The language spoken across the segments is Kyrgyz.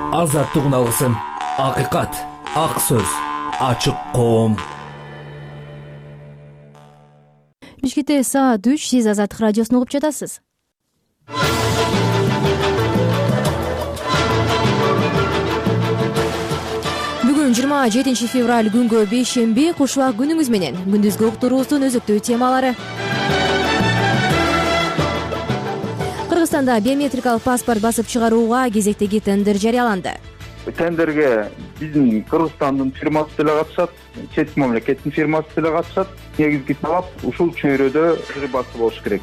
Азаттык алгысын, акыйкат, ак сөз, ачык коом. Бишкекте саат 3, сиз Азаттык радиосун угуп жатасыз. Бүгүн 27 февраль күнгө бейшемби, куш убак күнүңүз менен. Күндүзгү уктуруубуздун өзүктүү темалары. Кыргызстанда биометрикалык паспорт басып чыгарууга кезектеги тендер жарыяланды. Тендерге биздин Кыргызстандын фирмасы деле катышат, чет мамлекеттин фирмасы деле катышат. Негизги талап ушул чөйрөдө басып болуш керек.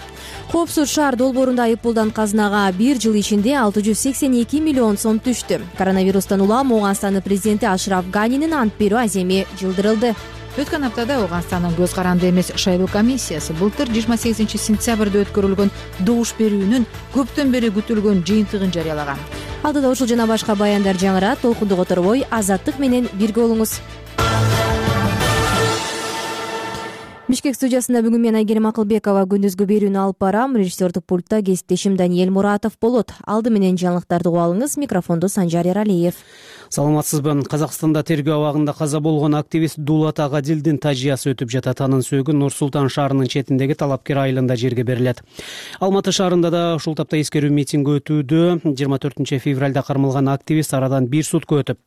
Коопсуз шаар долбоорунда айыппулдан казынага 1 жыл ичинде 682 миллион сом түштү. Коронавирустан улам Ооганстандын президенти Ашраф Ганинин ант берүү аземи жылдырылды. Өткөн аптада Ооганстандын көз каранды эмес шайлоо комиссиясы былтыр 28 сентябрда өткөрүлгөн добуш берүүнүн көптөн бери күтүлгөн жыйынтыгын жарыялаган. Алдыда ушул жана башка баяндар жаңырат, толкунду которбой Азаттык менен бирге болуңуз. Бишкек студиясында бүгүн мен Айгерим Акылбекова күндүзгү берүүнү алып барам. Режиссердик пультта кесиптешим Даниэль Муратов болот. Алды менен жаңылыктарды угуп алыңыз. Микрофонду Санжар Эралиев. Саламатсызбы. Казакстанда тергөө абагында каза болгон активист Дулат Агадилдин тажыясы өтүп жатат. Анын сөөгү Нур Султан шаарынын четиндеги Талапкер айылында жерге берилет. Алматы шаарында да ушул тапта эскерүү митинги өтүүдө. 24 февралда кармалган активист арадан 1 сутка өтүп,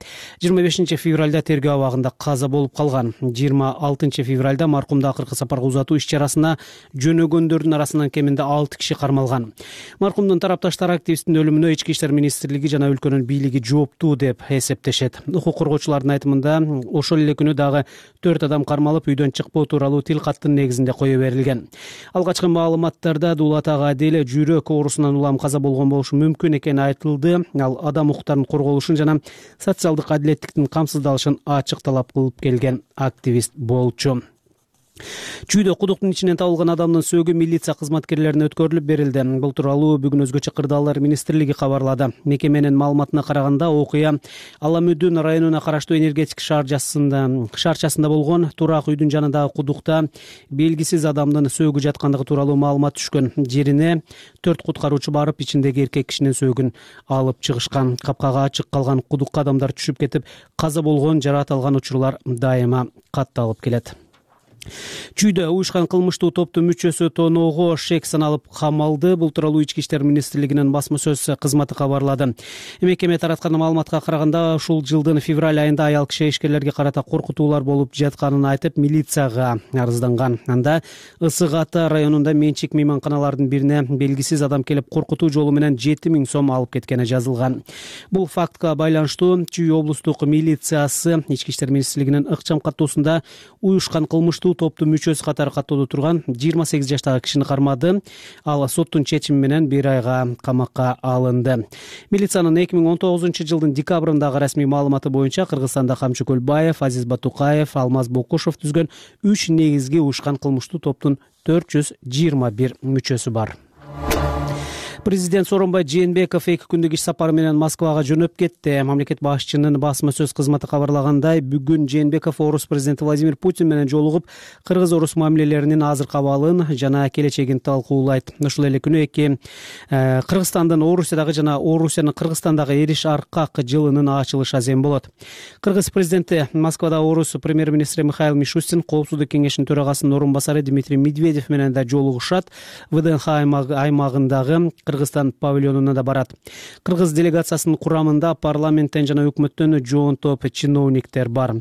25 февралда тергөө абагында каза болуп калган. 26 февралда маркумду акыркы сапарга узатуу иш-чарасына жөнөгөндөрдүн арасынан кеминде 6 киши кармалган. Маркумдун тарапташтары активисттин өлүмүнө Ички иштер министрлиги жана өлкөнүн бийлиги жооптуу деп эсептешет. Укук коргоочулардын айтымында ошол эле күнү дагы 4 адам кармалып, үйдөн чыкпоо тууралуу тил каттын негизинде кое берилген. Алгачкы маалыматтарда Дулат Агадил жүрөк оорусунан улам каза болгон болушу мүмкүн экени айтылды. Ал адам укуктарынын корголушун жана социалдык адилеттиктин камсыздалышын ачык талап кылып келген активист болчу. Чүйдө кудуктун ичинен табылган адамдын сөөгү милиция кызматкерлерине өткөрүлүп берилди. Бул тууралуу бүгүн өзгөчө кырдаалдар министрлиги кабарлады. Мекеменин маалыматына караганда окуя Аламүдүн районуна караштуу энергетик шаарчасында болгон турак үйдүн жанындагы кудукта белгисиз адамдын сөөгү жаткандыгы тууралуу маалымат түшкөн. Жерине 4 куткаруучу барып, ичиндеги эркек кишинин сөөгүн алып чыгышкан. Капкага ачык калган кудукка адамдар түшүп кетип, каза болгон, жаракат алган учурлар дайыма катталып келет. Чүйдө уюшкан кылмыштуу топтун мүчөсү тоноого шек саналып камалды. Бул тууралуу Ички иштер министрлигинин басма сөз кызматы кабарлады. Мекеме тараткан маалыматка караганда, ушул жылдын февраль айында аял киши ишкерлерге карата коркутуулар болуп жатканын айтып, милицияга арызданган. Анда Ысык Ата районунда менчик мейманканалардын бирине белгисиз адам келип коркутуу жолу менен 7000 сом алып кеткени жазылган. Бул фактка байланыштуу Чүй облустук милициясы Ички иштер министрлигинин ыкчам каттоосунда уюшкан кылмыштуу топтун мүчөсү катары каттоодо турган 28 жаштагы кишини кармады. Ал соттун чечими менен 1 айга камакка алынды. Милициянын 2019 жылдын декабрындагы расмий маалыматы боюнча Кыргызстанда Камчы Көлбаев, Азиз Батукаев, Алмаз Бокушев түзгөн 3 негизги уюшкан кылмыштуу топтун 421 мүчөсү бар. Президент Сооронбай Жээнбеков 2 күндүк иш сапары менен Москвага жөнөп кетти. Мамлекет башчынын басма сөз кызматы кабарлагандай, бүгүн Жээнбеков орус президенти Владимир Путин менен жолугуп, кыргыз-орус мамилелеринин азыркы абалын жана келечегин талкуулайт. Ушул эле күнү Кыргызстандын Орусиядагы жана Орусиянын Кыргызстандагы эриш аркак жылынын ачылыш азем болот. Кыргыз президенти Москвада орус премьер-министри Михаил Мишустин, Коопсуздук кеңешинин төрагасынын орун басары Дмитрий Медведев менен да жолугушат. ВДНХ аймагындагы Кыргызстан павильонуна да барат. Кыргыз делегациясынын курамында парламенттен жана өкмөттөн жоон топ чиновниктер бар.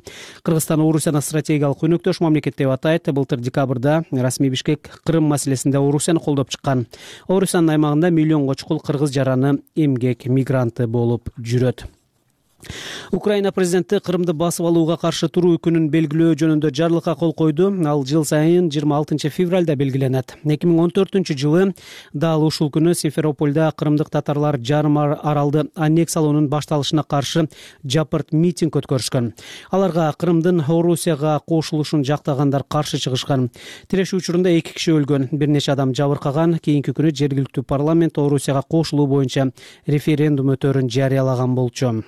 Кыргызстан Орусияны стратегиялык өнөктөш мамлекет деп атайт. Былтыр декабрда расмий Бишкек Крым маселесинде Орусияны колдоп чыккан. Орусиянын аймагында миллионго чукул кыргыз жараны эмгек мигранты болуп жүрөт. Украина президенти Крымды басып алууга каршы туруу күнүн белгилөө жөнүндө жарлыкка кол койду. Ал жыл сайын 26 февралда белгиленет. 2014 жылы дал ушул күнү Симферопольда крымдык татарлар жарым аралды аннексиялоонун башталышына каршы жапырт митинг өткөрүшкөн. Аларга Крымдын Орусияга кошулушун жактагандар каршы чыгышкан. Тирешүү учурунда 2 киши өлгөн, бир нече адам жабыркаган. Кийинки күнү жергиликтүү парламент Орусияга кошулуу боюнча референдум өтөөрүн жарыялаган болчу.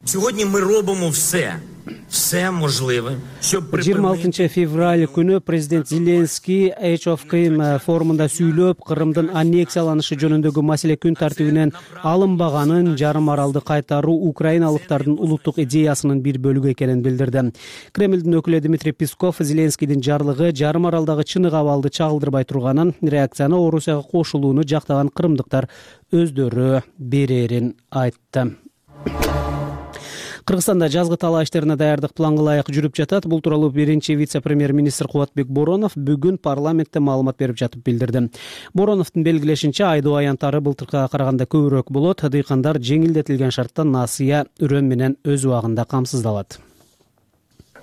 Сьогодні ми робимо все можливе, щоб 26 февраль күнү президент Зеленский Age of Крым форумунда сүйлөп, Кырымдын аннексияланышы жөнүндөгү маселе күн тартибинен алынбаганын, жарым аралды кайтаруу украиналыктардын улуттук идеясынын бир бөлүгү экенин билдирди. Кремлдин өкүлү Дмитрий Песков Зеленскийдин жарлыгы жарым аралдагы чынык абалды чагылдырбай турганын, реакцияны Орусияга кошулууну жактаган кырымдыктар өздөрү берерин айтты. Кыргызстанда жазгы талаа иштерине даярдык планга ылайык жүрүп жатат. Бул тууралуу биринчи вице-премьер-министр Кубатбек Боронов бүгүн парламентте маалымат берип жатып билдирди. Бороновдун белгилешинче, айдоо аянттары былтыркыга караганда көбүрөөк болот. Дыйкандар жеңилдетилген шартта насыя, үрөн менен өз убагында камсыздалат.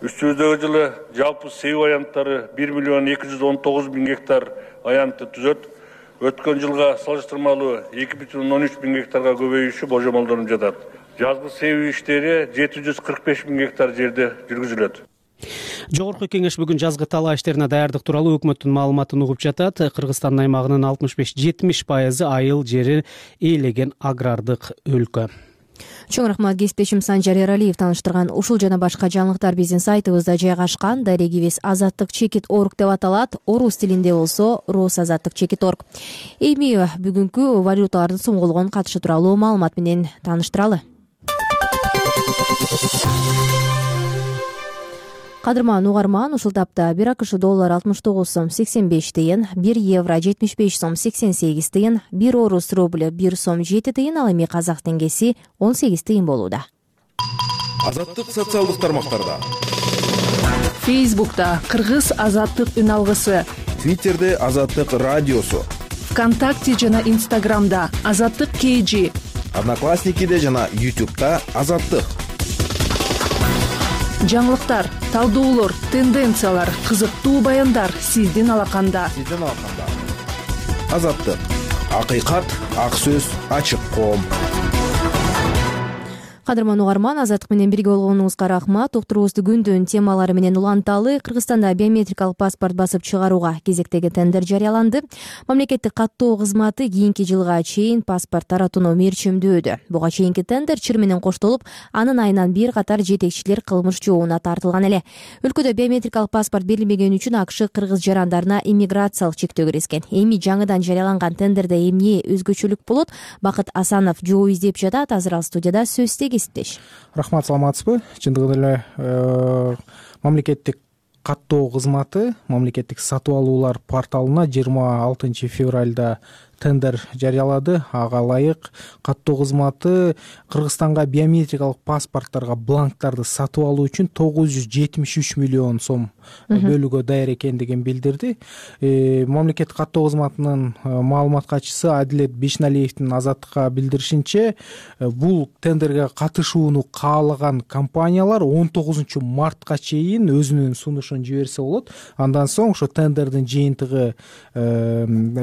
Үстүбүздөгү жылы жалпы себүү аянттары 1 219 000 гектар аянтты түзөт. Өткөн жылга салыштырмалуу 2,13 000 гектарга көбөйүшү божомолдонуп жатат. Жазгы себүү иштери 745 000 гектар жерде жүргүзүлөт. Жогорку кеңеш бүгүн жазгы талаа иштерине даярдык тууралуу өкмөттүн маалыматын угуп жатат. Кыргызстан аймагынын 65-70% айыл жери ээлеген агрардык өлкө. Чоң рахмат, кесиптешим Санжар Эралиев таныштырган ушул жана башка жаңылыктар биздин сайтыбызда жайгашкан. Дарегибиз azattik.org деп аталат. Орус тилинде болсо rusazattik.org. Эми бүгүнкү валюталардын сомголгон катышы тууралуу маалымат менен таныштыралы. Кадырман угарман, ушул тапта 1 АКШ доллар 69 сом 85 тыйын, 1 евро 75 сом 88 тыйын, 1 орус рубль 1 сом 7 тыйын, ал эми казак теңгеси 18 тыйын болууда. Азаттык социалдык тармактарда. Фейсбукта Кыргыз азаттык үн алгысы, Твиттерде Азаттык радиосу, ВКонтакте жана Инстаграмда Азаттык KG, Одноклассникиде жана YouTube'да Азаттык. Жаңылыктар, талдоолор, тенденциялар, кызыктуу баяндар сиздин алаканда. Азаттык. Акыйкат, ак сөз, ачык коом. Кадырман угарман, азаттык менен бирге болгонуңузга рахмат. Уктуруубузду күндүн темалары менен уланталы. Кыргызстанда биометрикалык паспорт басып чыгарууга кезектеги тендер жарыяланды. Мамлекеттик каттоо кызматы кийинки жылга чейин паспорт таратууну мерчимдөөдө. Буга чейинки тендер чыр менен коштолуп, анын айынан бир катар жетекчилер кылмыш жообуна тартылган эле. Өлкөдө биометрикалык паспорт берилмеген үчүн АКШ кыргыз жарандарына иммиграциялык чектөө киргизген. Эми жаңыдан жарыяланган тендерде эмне өзгөчөлүк болот? Бакыт Асанов жооп издеп жатат. Азыр ал студияда сөз Рахмат, саламатсызбы? Чындыгында эле мамлекеттик каттоо кызматы мамлекеттик сатып алуулар порталына 26 февралда тендер жарыялады. Ага ылайык каттоо кызматы Кыргызстанга биометрикалык паспорттарга бланктарды сатып алуу үчүн 973 миллион сом бөлүүгө даяр экендигин билдирди. Мамлекеттик каттоо кызматынын маалымат катчысы Адилет Бешналиевдин Азаттыкка билдиришинче, бул тендерге катышууну каалаган компаниялар 19 мартка чейин өзүнүн сунушун жиберсе болот. Андан соң ошо тендердин жыйынтыгы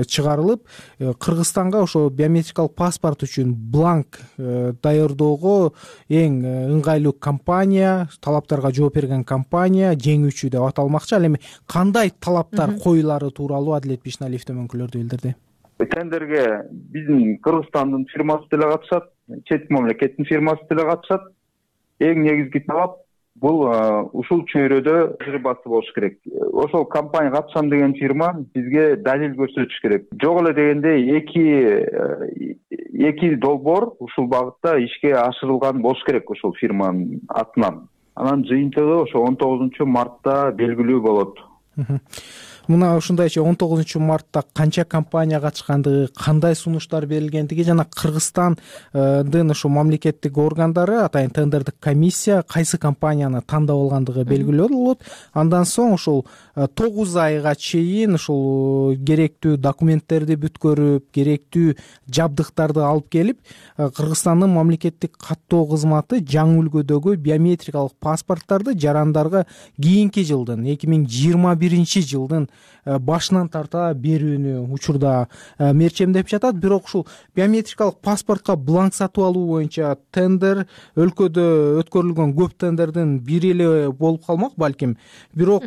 чыгарылып, Кыргызстанга ошо биометрикалык паспорт үчүн бланк даярдоого эң ыңгайлуу компания, талаптарга жооп берген компания жеңүүчү деп аталмакчы. Ал эми кандай талаптар коюлары тууралуу Адилет Бешналиевдин өкүлдөрү билдирди. Тендерге биздин Кыргызстандын фирмасы деле катышат, чет мамлекеттин фирмасы деле катышат. Эң негизги талап бул ушул чөйрөдө басып болуш керек. Ошол компания катышам деген фирма бизге далил көрсөтүш керек. Жок эле дегенде эки долбоор ушул багытта ишке ашырылган болуш керек ошол фирманын атынан. Анан жыйынтыгы ошо 19 мартта белгилүү болот. Мына ушундайча 19 мартта канча компания катышкандыгы, кандай сунуштар берилгендиги жана Кыргызстандын ошо мамлекеттик органдары, атайын тендердик комиссия кайсы компанияны тандап алгандыгы белгилүү болот. Андан соң ушул 9 айга чейин ушул керектүү документтерди бүткөрүп, керектүү жабдыктарды алып келип, Кыргызстандын мамлекеттик каттоо кызматы жаңы үлгүдөгү биометрикалык паспорттарды жарандарга кийинки жылдын 2021 жылдын башынан тарта берүүнү учурда мерчемдеп жатат. Бирок ушул биометрикалык паспортко бланк сатып алуу боюнча тендер өлкөдө өткөрүлгөн көп тендердин бири эле болуп калмак балким. Бирок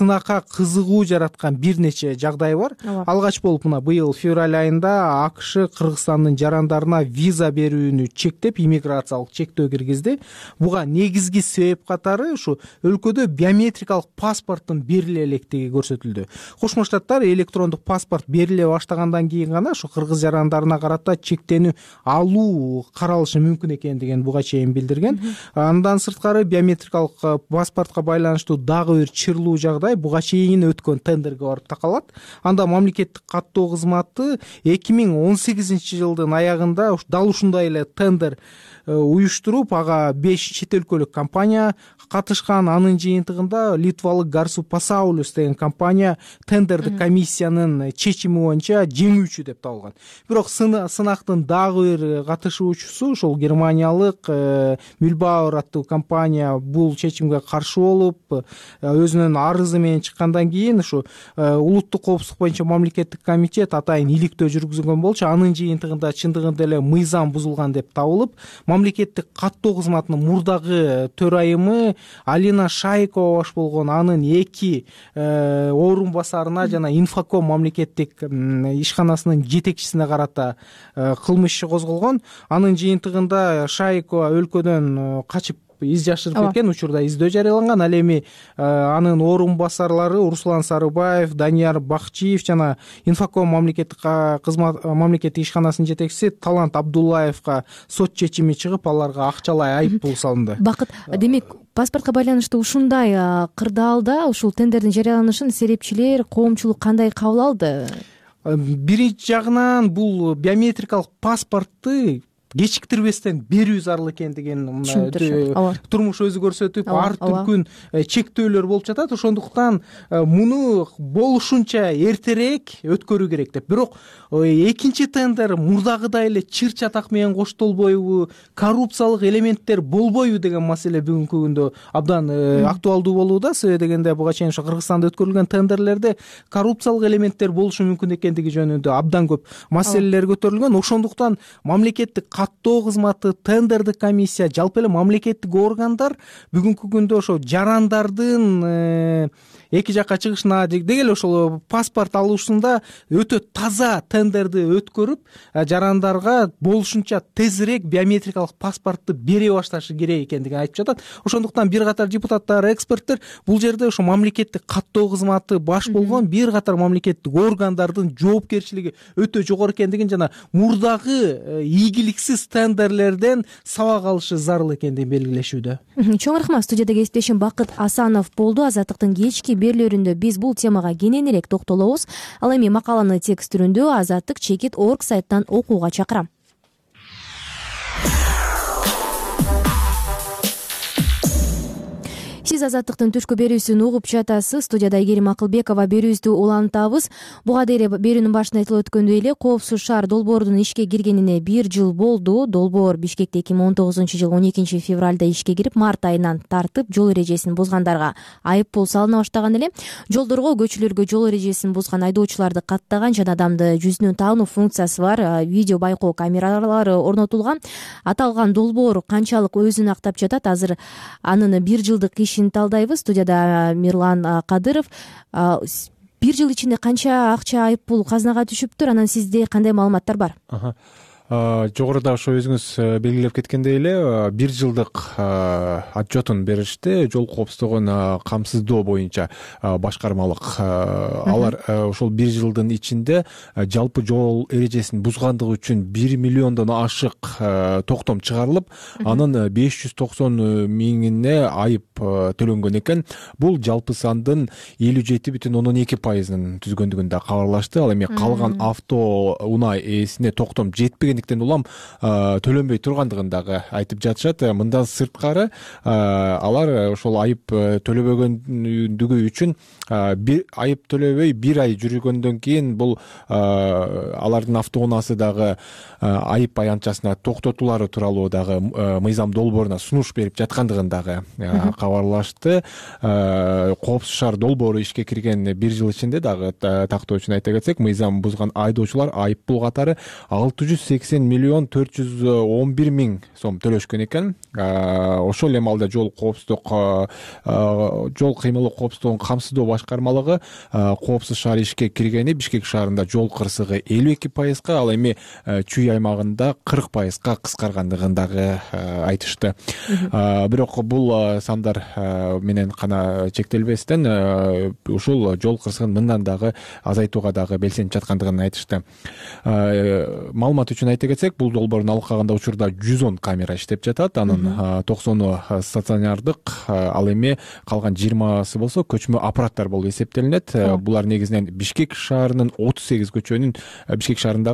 сынакка кызыгуу жараткан бир нече жагдай бар. Алгач болуп мына быйыл февраль айында АКШ Кыргызстандын жарандарына виза берүүнү чектеп, иммиграциялык чектөө киргизди. Буга негизги себеп катары ушу өлкөдө биометрикалык паспорттун бериле электиги көрсөтүлдү. Кошмо Штаттар электрондук паспорт бериле баштагандан кийин гана ушу кыргыз жарандарына карата чектенүү алуу каралышы мүмкүн экендигин буга чейин билдирген. Андан сырткары биометрикалык паспортко байланыштуу дагы бир чырлуу жагдай буга чейин өткөн тендерге барып такалат. Анда мамлекеттик каттоо кызматы 2018-жылдын аягында дал ушундай эле тендер уюштуруп, ага 5 чет өлкөлүк компания катышкан. Анын жыйынтыгында литвалык Garsu Pasaulius деген компания тендердик комиссиянын чечими боюнча жеңүүчү деп табылган. Бирок сынактын дагы бир катышуучусу ошол германиялык Mühlbauer аттуу компания бул чечимге каршы болуп, өзүнүн арызы менен чыккандан кийин ушу улуттук коопсуздук боюнча мамлекеттик комитет атайын иликтөө жүргүзгөн болчу. Анын жыйынтыгында чындыгында эле мыйзам бузулган деп табылып, мамлекеттик каттоо кызматынын мурдагы төрайымы Алина Шайкова баш болгон анын 2 орун басарына жана Infocom мамлекеттик ишканасынын жетекчисине карата кылмыш иши козголгон. Анын жыйынтыгында Шайкова өлкөдөн качып из жашырып кеткен, учурда издөө жарыяланган. Ал эми анын орун басарлары Руслан Сарыбаев, Данияр Бакчиев жана Infocom мамлекеттик ишканасынын жетекчиси Талант Абдуллаевга сот чечими чыгып, аларга акчалай айып пул салынды. Бакыт, демек паспортко байланыштуу ушундай кырдаалда ушул тендердин жарыяланышын серепчилер, коомчулук кандай кабыл алды? Биринчи жагынан бул биометрикалык паспортты кечиктирбестен берүү зарыл экендигин турмуш өзү көрсөтүп, ар түркүн чектөөлөр болуп жатат. Ошондуктан муну болушунча эртерээк өткөрүү керек деп. Бирок экинчи тендер мурдагыдай эле чыр чатак менен коштолбойбу, коррупциялык элементтер болбойбу деген маселе бүгүнкү күндө абдан актуалдуу болууда. Себеби дегенде буга чейин ошо Кыргызстанда өткөрүлгөн тендерлерде коррупциялык элементтер болушу мүмкүн экендиги жөнүндө абдан көп маселелер көтөрүлгөн. Ошондуктан мамлекеттик каттоо кызматы, тендердик комиссия, жалпы эле мамлекеттик органдар бүгүнкү күндө ошо жарандардын эки жакка чыгышына деги эле ошол паспорт алуусунда өтө таза тендерди өткөрүп, жарандарга болушунча тезирээк биометрикалык паспортты бере башташы керек экендигин айтып жатат. Ошондуктан бир катар депутаттар, эксперттер бул жерде ошо мамлекеттик каттоо кызматы баш болгон бир катар мамлекеттик органдардын жоопкерчилиги өтө жогору экендигин жана мурдагы ийгиликсиз тендерлерден сабак алышы зарыл экендигин белгилешүүдө. Чоң рахмат. Студияда кесиптешим Бакыт Асанов болду. Азаттыктын кечки берүүлөрүндө биз бул темага кененирээк токтолобуз. Ал эми макаланы текст түрүндө Азаттык Чекит.org сайттан окууга чакырам. Сиз Азаттыктын түшкү берүүсүн угуп жатасыз. Студияда Айгерим Акылбекова. Берүүбүздү улантабыз. Буга дейин берүүнүн башында айтылып өткөндөй эле Коопсуз шаар долбоорунун ишке киргенине 1 жыл болду. Долбоор Бишкекте 2019-жылы 12 февралда ишке кирип, март айынан тартып жол эрежесин бузгандарга айып пул салына баштаган эле. Жолдорго, көчөлөргө жол эрежесин бузган айдоочуларды каттаган жана адамды жүзүнөн таануу функциясы бар видео байкоо камералары орнотулган. Аталган долбоор канчалык өзүн актап жатат? Азыр анын 1 жылдык ишин талдайбыз. Студияда Мирлан Кадыров. 1 жыл ичинде канча акча айып пул казынага түшүптүр? Анан сизде кандай маалыматтар бар? Жогоруда ошо өзүңүз белгилеп кеткендей эле 1 жылдык отчетун беришти. Жол коопсуздугун камсыздоо боюнча башкармалык. Алар ошол 1 жылдын ичинде жалпы жол эрежесин бузгандыгы үчүн 1 миллиондон ашык токтом чыгарылып, анын 590 миңине айып төлөнгөн экен. Бул жалпы сандын 57,12%-ын түзгөндүгүн да кабарлашты. Ал эми калган авто унаа ээсине токтом жетпеген улам төлөнбөй тургандыгын дагы айтып жатышат. Мындан сырткары алар ошол айып төлөбөгөндүгү үчүн айып төлөбөй 1 ай жүргөндөн кийин бул алардын автоунаасы дагы айып аянтчасына токтотулары тууралуу дагы мыйзам долбооруна сунуш берип жаткандыгын дагы кабарлашты. Коопсуз шаар долбоору ишке кирген 1 жыл ичинде дагы тактоо үчүн айта кетсек, мыйзам бузган айдоочулар айып пул катары 680 80,411,000 сом төлөшкөн экен. Ошол эми алда жол кыймылы коопсуздугун камсыздоо башкармалыгы коопсуз шаар ишке киргени Бишкек шаарында жол кырсыгы 52%, ал эми Чүй аймагында 40%га кыскаргандыгын дагы айтышты. Бирок бул сандар менен гана чектелбестен ушул жол кырсыгын мындан дагы азайтууга дагы белсенип жаткандыгын айтышты. Маалымат үчүн айта кетсек, бул долбоордун алкагында учурда 110 камера иштеп жатат. Анын 90 стационардык, ал эми калган 20 болсо көчмө аппараттар болуп эсептелинет. Булар негизинен Бишкек шаарындагы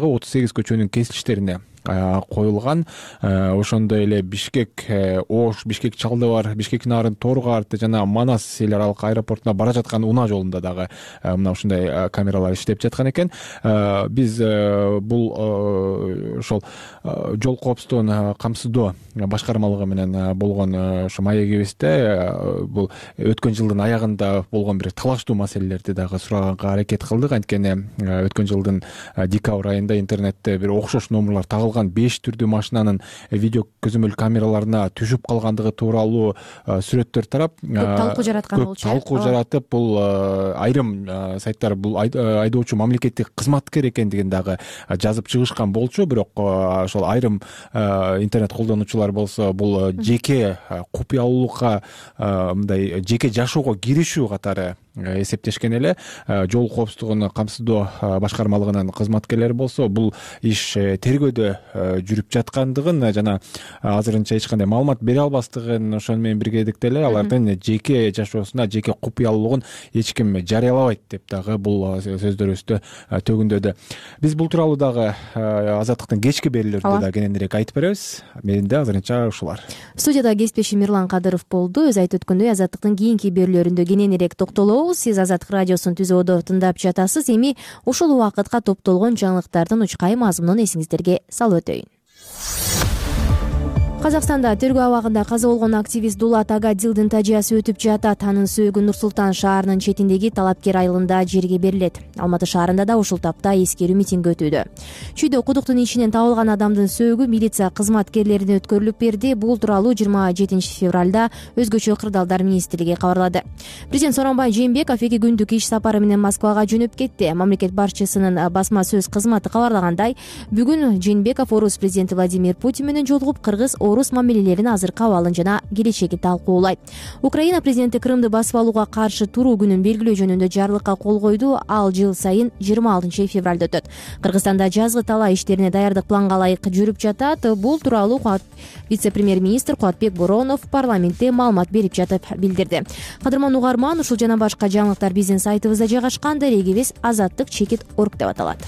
38 көчөнүн кесилиштерине коюлган. Ошондой эле Бишкек Ош, Бишкек Чалдыбар, Бишкек Нарын, Торгарт жана Манас эл аралык аэропортуна бара жаткан унаа жолунда дагы мына ушундай камералар иштеп жаткан экен. Биз бул ошол жол коопсуздугун камсыздоо башкармалыгы менен болгон ошо маегибизде бул өткөн жылдын аягында болгон бир талаштуу маселелерди дагы сураганга аракет кылдык. Анткени өткөн жылдын декабрь айында интернетте бир окшош номерлар тагылган 5 түрдүү машинанын видео көзөмөл камераларына түшүп калгандыгы тууралуу сүрөттөр тарап талкуу жараткан болчу. Талкуу жаратып, бул айрым сайттар бул айдоочу мамлекеттик кызматкер экендигин дагы жазып чыгышкан болчу. Бирок ошол айрым интернет колдонуучулар болсо бул жеке купуялуулукка, мындай жеке жашоого киришүү катары эсептешкен эле. Жол коопсуздугун камсыздоо башкармалыгынын кызматкерлери болсо бул иш тергөөдө жүрүп жаткандыгын жана азырынча эч кандай маалымат бере албастыгын, ошону менен биргеликте эле алардын жеке жашоосуна жеке купуялуулугун эч ким жарыялабайт деп дагы бул сөздөрүбүздө төгүндөдү. Биз бул тууралуу дагы Азаттыктын кечки берүүлөрүндө да кененирээк айтып беребиз. Менде азырынча ушулар. Студияда кесиптешим Мирлан Кадыров болду. Өз айтып өткөндөй, Азаттыктын кийинки берүүлөрүндө кененирээк токтолобуз. Сиз Азаттык радиосун түзөөдө тыңдап жатасыз. Эми ушул убакытка топтолгон жаңылыктардын учкай мазмунун эсиңиздерге салып өтөйүн. Казакстанда тергөө абагында каза болгон активист Дулат Агадилдин тажыясы өтүп жатат. Анын сөөгү Нур-Султан шаарынын четиндеги Талапкер айылында жерге берилет. Алматы шаарында да ушул тапта эскерүү митинги өтүүдө. Чүйдө кудуктун ичинен табылган адамдын сөөгү милиция кызматкерлерине өткөрүлүп берди. Бул тууралуу 27 февралда Өзгөчө кырдаалдар министрлиги кабарлады. Президент Сооронбай Жээнбеков 2 күндүк иш сапары менен Москвага жөнөп кетти. Мамлекет башчысынын басма сөз кызматы кабарлагандай, бүгүн Жээнбеков орус президенти Владимир Путин менен жолугуп кыргыз-орус мамилелеринин азыркы абалын жана келечеги талкуулайт. Украина президенти Крымды басып алууга каршы туруу күнүн белгилөө жөнүндө жарлыкка кол койду. Ал жыл сайын 26 февралда өтөт. Кыргызстанда жазгы талаа иштерине даярдык планга ылайык жүрүп жатат. Бул тууралуу вице-премьер-министр Кубатбек Боронов парламентте маалымат берип жатып билдирди. Кадырман угарман, ушул жана башка жаңылыктар биздин сайтыбызда жайгашкан. Дарегибиз azattik.org деп аталат.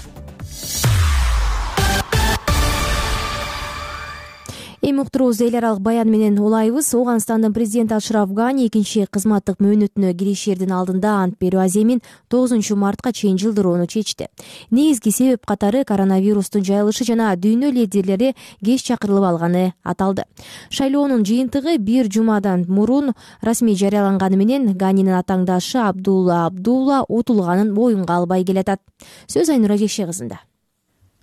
Эми уктуруубузду эл аралык баян менен улайбыз. Ооганстандын президенти Ашраф Гани экинчи кызматтык мөөнөтүнө киришердин алдында ант берүү аземин 9 мартка чейин жылдырууну чечти. Негизги себеп катары коронавирустун жайылышы жана дүйнө лидерлери кеч чакырылып алганы аталды. Шайлоонун жыйынтыгы бир жумадан мурун расмий жарыяланганы менен Ганинин атааңдашы Абдулла утулганын боюнга албай келатат. Сөз Айнура Жекше кызында.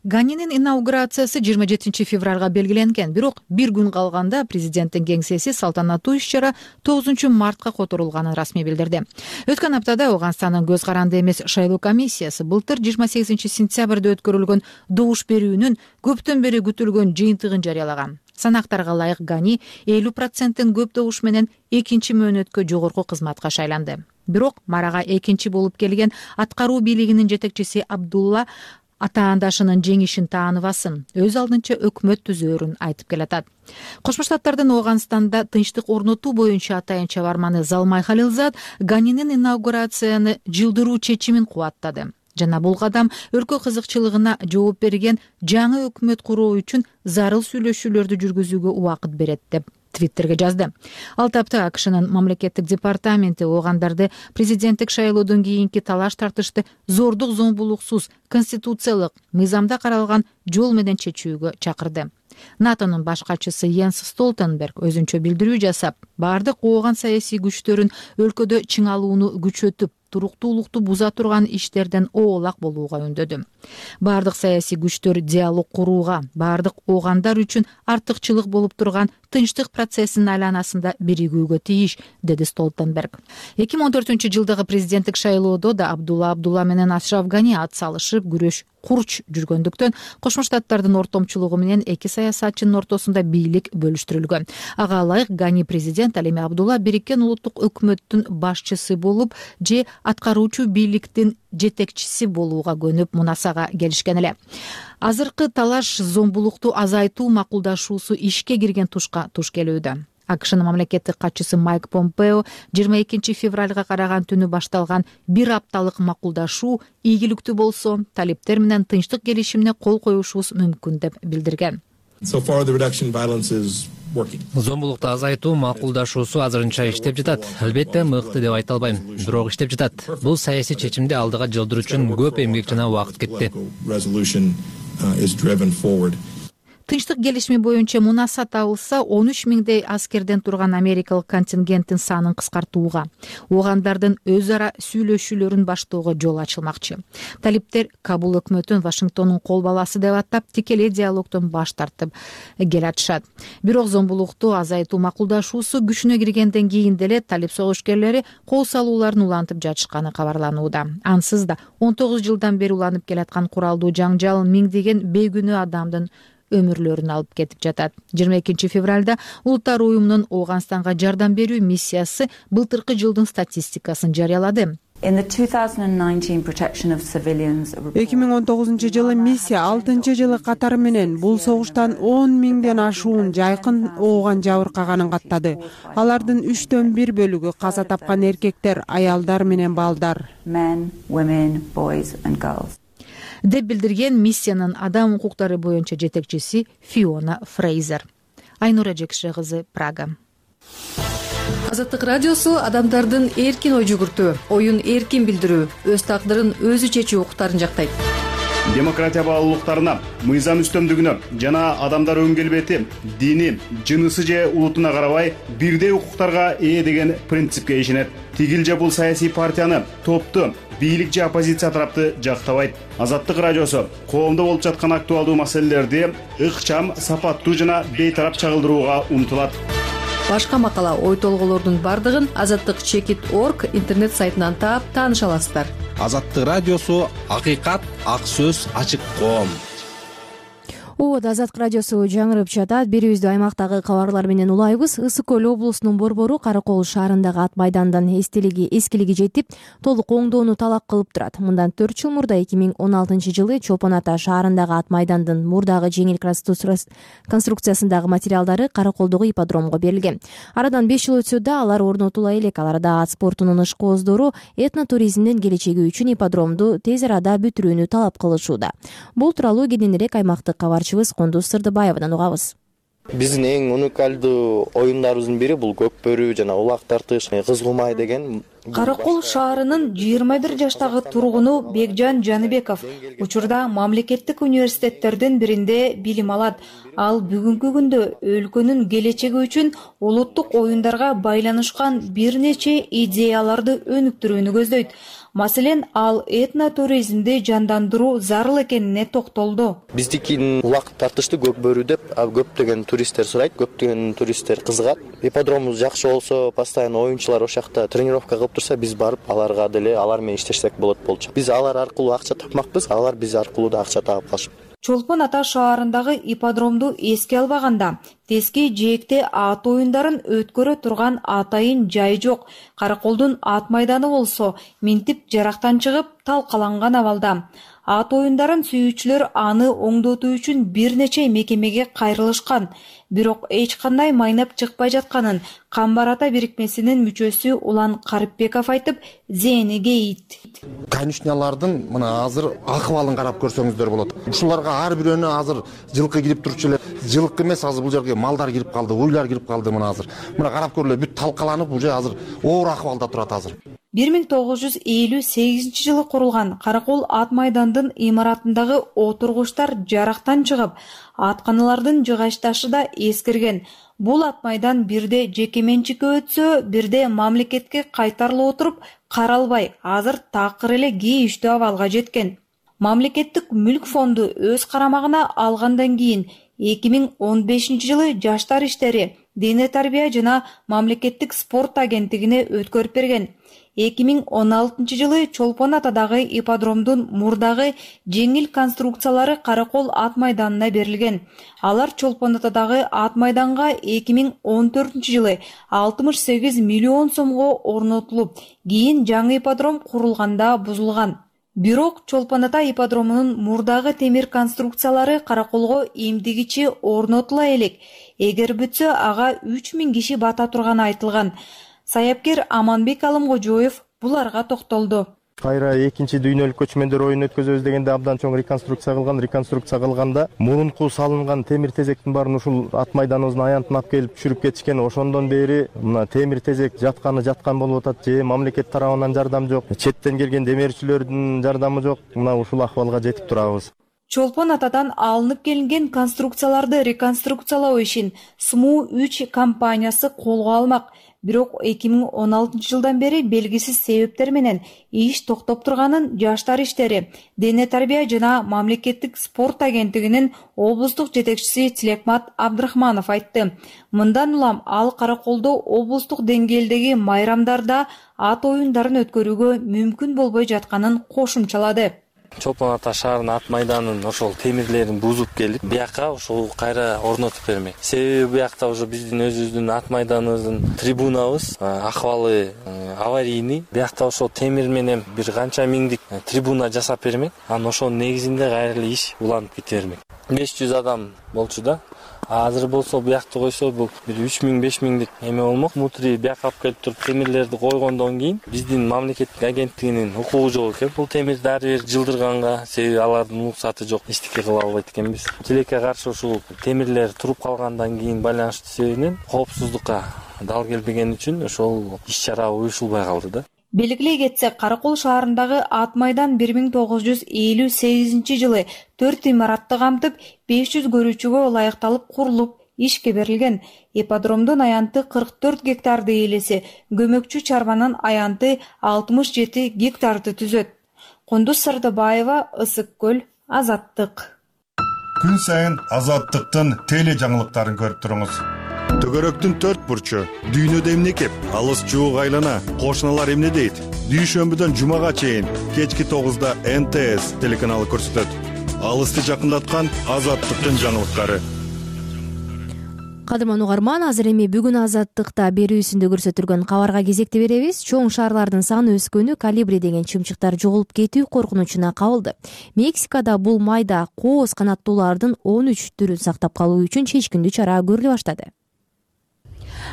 Ганинин инаугурациясы 27 февралга белгиленген, бирок бир күн калганда президенттин кеңсеси салтанаттуу иш-чара 9 мартка которулганын расмий билдирди. Өткөн аптада Ооганстандын көз каранды эмес шайлоо комиссиясы былтыр 28 сентябрда өткөрүлгөн добуш берүүнүн көптөн бери күтүлгөн жыйынтыгын жарыялаган. Санактарга ылайык Гани 50%тен көп добуш менен экинчи мөөнөткө жогорку кызматка шайланды. Бирок марага экинчи болуп келген аткаруу бийлигинин жетекчиси Абдулла атаандашынын жеңишин тааныбасын, өз алдынча өкмөт түзөөрүн айтып келатат. Кошмо Штаттардын Ооганстанда тынчтык орнотуу боюнча атайын чабарманы Залмай Халилзад Ганинин инаугурацияны жылдыруу чечимин кубаттады. Жана бул кадам өлкө кызыкчылыгына жооп берген жаңы өкмөт куруу үчүн зарыл сүйлөшүүлөрдү жүргүзүүгө убакыт берет деп Твиттерге жазды. Ал тапта АКШнын мамлекеттик департаменти оогандарды президенттик шайлоодон кийинки талаш тартышты зордук зомбулуксуз конституциялык мыйзамда каралган жол менен чечүүгө чакырды. НАТОнун баш катчысы Йенс Столтенберг өзүнчө билдирүү жасап, бардык ооган саясий күчтөрүн өлкөдө чыңалууну күчөтүп, туруктуулукту буза турган иштерден оолак болууга үндөдү. Бардык саясий күчтөр диалог курууга, бардык оогандар үчүн артыкчылык болуп турган тынчтык процессинин айланасында биригүүгө тийиш, деди Столтенберг. 2014-жылдагы президенттик шайлоодо да Абдулла менен Ашраф Гани ат салышып, күрөш курч жүргөндүктөн Кошмо Штаттардын ортомчулугу менен эки саясатчынын ортосунда бийлик бөлүштүрүлгөн. Ага ылайык Гани президент, ал эми Абдулла бириккен улуттук өкмөттүн башчысы болуп же аткаруучу бийликтин жетекчиси болууга көнүп мунасага келишкен эле. Азыркы талаш зомбулукту азайтуу макулдашуусу ишке кирген тушка туш келүүдө. АКШнын мамлекеттик катчысы Майк Помпео 22 февралга караган түнү башталган бир апталык макулдашуу ийгиликтүү болсо, талиптер менен тынчтык келишимине кол коюшубуз мүмкүн деп билдирген. Зомбулукту азайтуу макулдашуусу азырынча иштеп жатат. Албетте мыкты деп айта албайм, бирок иштеп жатат. Бул саясий чечимди алдыга жылдыруу үчүн көп эмгек жана убакыт кетти. Тынчтык келишими боюнча мунаса табылса, 13 миңдей аскерден турган америкалык контингенттин санын кыскартууга, оогандардын өз ара сүйлөшүүлөрүн баштоого жол ачылмакчы. Талиптер Кабул өкмөтүн Вашингтондун кол баласы деп атап, тикелей диалогдон баш тартып келатышат. Бирок зомбулукту азайтуу макулдашуусу күчүнө киргенден кийин деле талип согушкерлери кол салууларын улантып жатышканы кабарланууда. Ансыз да 19 жылдан бери уланып келаткан куралдуу жаңжал миңдеген бейгүнөө адамдын өмүрлөрүн алып кетип жатат. 22 февралда Улуттар уюмунун Ооганстанга жардам берүү миссиясы былтыркы жылдын статистикасын жарыялады. 2019 жылы миссия 6-жылы катары менен бул согуштан 10 миңден ашуун жайкын ооган жабыркаганын каттады. Алардын 3/1 бөлүгү каза тапкан эркектер, аялдар менен балдар. Деп билдирген миссиянын адам укуктары боюнча жетекчиси Фиона Фрейзер. Айнура Жекше кызы, Прага. Азаттык радиосу адамдардын эркин ой жүгүртүү, оюн эркин билдирүү, өз тагдырын өзү чечүү укуктарын жактайт. Демократия баалуулуктарына, мыйзам үстөмдүгүнө жана адамдар өң келбети, дини, жынысы же улутуна карабай бирдей укуктарга ээ деген принципке ишенет. Тигил же бул саясий партияны, топту, бийлик же оппозиция тарапты жактабайт. Азаттык радиосу коомдо болуп жаткан актуалдуу маселелерди ыкчам, сапаттуу жана бейтарап чагылдырууга умтулат. Башка макала, ой толголордун бардыгын azattik.org интернет сайтынан таап тааныша аласыздар. Азаттык радиосу акыйкат, ак сөз, ачык коом. Азаттык радиосу жаңырып жатат. Берүүбүздү аймактагы кабарлар менен улайбыз. Ысык көл облусунун Борбору Кара Кол шаарындагы ат майдандын эскилиги жетип, толук оңдоону талап кылып турат. Мындан 4 жыл мурда 2016 жылы Чопон Ата шаарындагы ат майдандын мурдагы жеңил конструкциясындагы материалдары Кара Колдогу ипподромго берилген. Арадан 5 жыл өтсө да алар орнотула элек. Аларда ат спортунун ышкоздору этнотуризмдин келечеги үчүн ипподромду тез арада бүтүрүүнү талап кылышууда. Бул тууралуу кененирээк аймактык кабарчыбыз Кондуз Сырдыбаевадан угабыз. Биздин эң уникалдуу оюндарыбыздын бири бул көк бөрү жана улак тартыш, кыз кумай деген. Кара Кол шаарынын 21 жаштагы тургуну Бекжан Жаныбеков учурда мамлекеттик университеттердин биринде билим алат. Ал бүгүнкү күндө өлкөнүн келечеги үчүн улуттук оюндарга байланышкан бир нече идеяларды өнүктүрүүнү көздөйт. Маселен, ал этнотуризмди жандандыруу зарыл экенине токтолду. Биздикин улак тартышты көк бөрү деп көптөгөн туристтер сурайт, көптөгөн туристтер кызыгат. Ипподромубуз жакшы болсо, постоянно оюнчулар ошол жакта тренировка кылып турса, биз барып аларга деле алар менен иштешсек болот болчу. Биз алар аркылуу акча тапмакпыз, алар биз аркылуу да акча таап калышып. Чолпон Ата шаарындагы ипподромду эске албаганда тески жээкте ат оюндарын өткөрө турган атайын жай жок. Кара Колдун ат майданы болсо минтип жарактан чыгып талкаланган абалда. Ат оюндарын сүйүүчүлөр аны оңдотуу үчүн бир нече мекемеге кайрылышкан. Бирок эч кандай майнап чыкпай жатканын Камбар Ата бирикмесинин мүчөсү Улан Карипбеков айтып, зээни кейит. Конюшнялардын мына азыр акыбалын карап көрсөңүздөр болот. Ушуларга ар бирөөнө азыр жылкы кирип турчу эле. Жылкы эмес, азыр бул жерге малдар кирип калды, уйлар кирип калды мына азыр. Мына карап көрүлө бүт талкаланып, уже азыр оор акыбалда турат азыр. 1958-жылы курулган Каракол ат майдандын имаратындагы отургучтар жарактан чыгып, атканалардын жыгачташы да эскирген. Бул ат майдан бирде жеке менчикке өтсө, бирде мамлекетке кайтарылып отуруп каралбай, азыр такыр эле кейиштүү абалга жеткен. Мамлекеттик мүлк фонду өз карамагына алгандан кийин 2015-жылы Жаштар иштери, дене тарбия жана мамлекеттик спорт агенттигине өткөрүп берген. 2016-жылы Чолпон атадагы ипподромдун мурдагы жеңил конструкциялары Каракол ат майданына берилген. Алар Чолпон атадагы ат майданга 2014-жылы 68 миллион сомго орнотулуп, кийин жаңы ипподром курулганда бузулган. Бирок Чолпон ата ипподромунун мурдагы темир конструкциялары Караколго эмдигичи орнотула элек. Эгер бүтсө, ага 3000 киши бата турганы айтылган. Саяпкер Аманбек Алымкожоев буларга токтолду. Кайра экинчи дүйнөлүк көчмөндөр оюн өткөзөбүз дегенде абдан чоң реконструкция кылган. Реконструкция кылганда мурунку салынган темир тезектин баарын ушул ат майданыбыздын аянтына алып келип түшүрүп кетишкен. Ошондон бери мына темир тезек жаткан болуп атат. Же мамлекет тарабынан жардам жок, четтен келген демирчилердин жардамы жок. Мына ушул акыбалга жетип турабыз. Чолпон атадан алынып келинген конструкцияларды реконструкциялоо ишин СМУ-3 компаниясы колго алмак. Бирок 2016-жылдан бери белгисиз себептер менен иш токтоп турганын Жаштар иштери, дене тарбия жана мамлекеттик спорт агенттигинин облустук жетекчиси Тилекмат Абдрахманов айтты. Мындан улам ал Караколдо облустук деңгээлдеги майрамдарда ат оюндарын өткөрүүгө мүмкүн болбой жатканын кошумчалады. Чолпон ата шаарынын ат майданын ошол темирлерин бузуп келип, бияка ошол кайра орнотуп бермек. Себеби биякта уже биздин өзүбүздүн ат майданыбыздын трибунабыз акыбалы аварийный. Биякта ошол темир менен бир канча миңдик трибуна жасап бермек. Анан ошонун негизинде кайра эле иш уланып кете бермек. 500 адам болчу да. Азыр болсо биякты койсо бул бир 3000-5000дик эме болмок. Мутри бияка алып келип туруп темирлерди койгондон кийин биздин мамлекеттик агенттигинин укугу жок экен. Бул темирди ар бир жылдырганга, себеби алардын уруксаты жок, эчтеке кыла албайт экенбиз. Тилекке каршы ушул темирлер туруп калгандан кийин байланыштуу себебинен коопсуздукка дал келбеген үчүн ошол иш-чара уюшулбай калды да. Белгилей кетсек, Каракол шаарындагы ат майдан 1958-жылы 4 имаратты камтып, 500 көрүүчүгө ылайыкталып курулуп, ишке берилген. Ипподромдун аянты 44 гектарды ээлесе, көмөкчү чарбанын аянты 67 гектарды түзөт. Кундуз Сардыбаева, Ысык көл, Азаттык. Күн сайын Азаттыктын теле жаңылыктарын көрүп туруңуз. Төгөрөктүн 4 бурчу, дүйнөдө эмне кеп, алыс жуук айлана, кошуналар эмне дейт? Дүйшөмбүдөн жумага чейин кечки 9-да НТС телеканалы көрсөтөт. Алысты жакындаткан Азаттыктын жаңылыктары. Кадырман угарман, азыр эми бүгүн Азаттыкта берүүсүндө көрсөтүлгөн кабарга кезекти беребиз. Чоң шаарлардын саны өскөнү, Колибри деген чымчыктар жоголуп кетүү коркунучуна кабылды. Мексикада бул майда кооз канаттуулардын 13 түрүн сактап калуу үчүн чечкиндүү чара көрүлө баштады.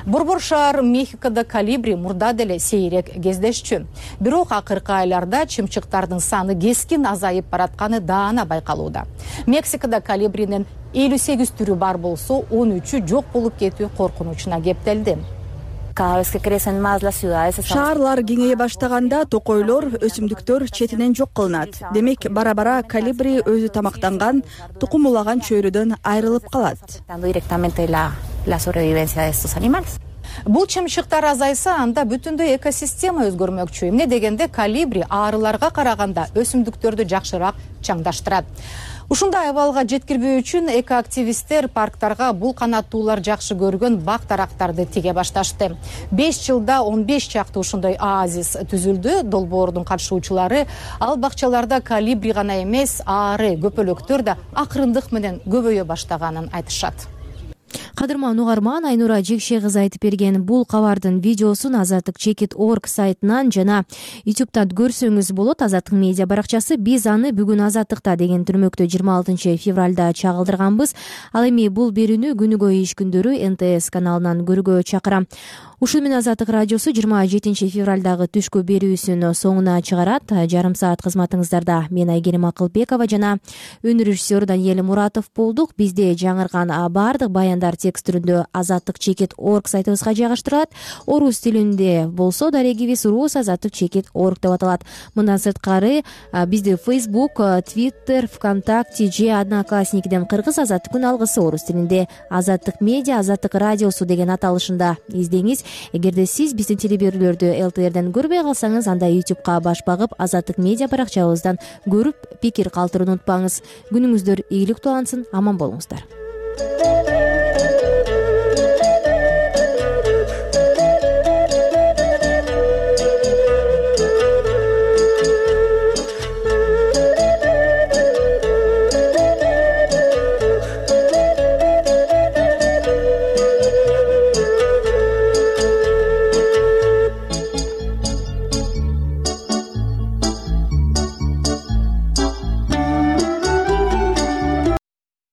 Борбор шаар Мехикода колибри мурда деле сейрек кездешчү. Бирок акыркы айларда чымчыктардын саны кескин азайып баратканы даана байкалууда. Мексикада колибринин 58 түрү бар болсо, 13-ү жок болуп кетүү коркунучуна кептелди. Шаарлар кеңейе баштаганда токойлор, өсүмдүктөр четинен жок кылынат. Демек, бара-бара колибри өзү тамактанган, тукум улаган чөйрөдөн айрылып калат. Бул чымчыктар азайса, анда бүтүндөй экосистема өзгөрмөкчү. Эмне дегенде колибри арыларга караганда өсүмдүктөрдү жакшыраак чаңдаштырат. Ушундай абалга жеткирбөө үчүн экоактивисттер парктарга бул канаттуулар жакшы көргөн бак-дарактарды тиге башташты. 5 жылда 15 чакты ушундай оазис түзүлдү. Долбоордун катышуучулары ал бакчаларда колибри гана эмес, ары көпөлөктөр да акырындык менен көбөйө баштаганын айтышат. Кадырман угарман, Айнура Жекше кызы айтып берген бул кабардын видеосун Azattik.org сайтынан жана YouTube'дан көрсөңүз болот. Азаттык медиа баракчасы. Биз аны бүгүн Азаттыкта деген түрмөктө 26 февралда чагылдырганбыз. Ал эми бул берүүнү күнүгө иш күндөрү НТС каналынан көрүүгө чакырам. ушул менен Азаттык радиосу 27 февралдагы түшкү берүүсүн соңуна чыгарат. Жарым саат кызматыңыздарда мен Айгерим Акылбекова жана өнөр режиссеру Даниэль Муратов болдук. Бизде жаңырган баардык баяндар текст түрүндө azattik.org сайтыбызга жайгаштырылат. Орус тилинде болсо дарегибиз rus.azattik.org деп аталат. Мындан сырткары бизди Facebook, Twitter, ВКонтакте же Одноклассникиден кыргыз Азаттыктын алгысы орус тилинде Азаттык медиа, Азаттык радиосу деген аталышында издеңиз. Эгерде сиз биздин телеберүүлөрдү ЛТРден көрбөй калсаңыз, анда YouTubeга баш багып Азаттык медиа баракчабыздан көрүп пикир калтырууну унутпаңыз. Күнүңүздөр ийгиликтүү улансын, аман болуңуздар.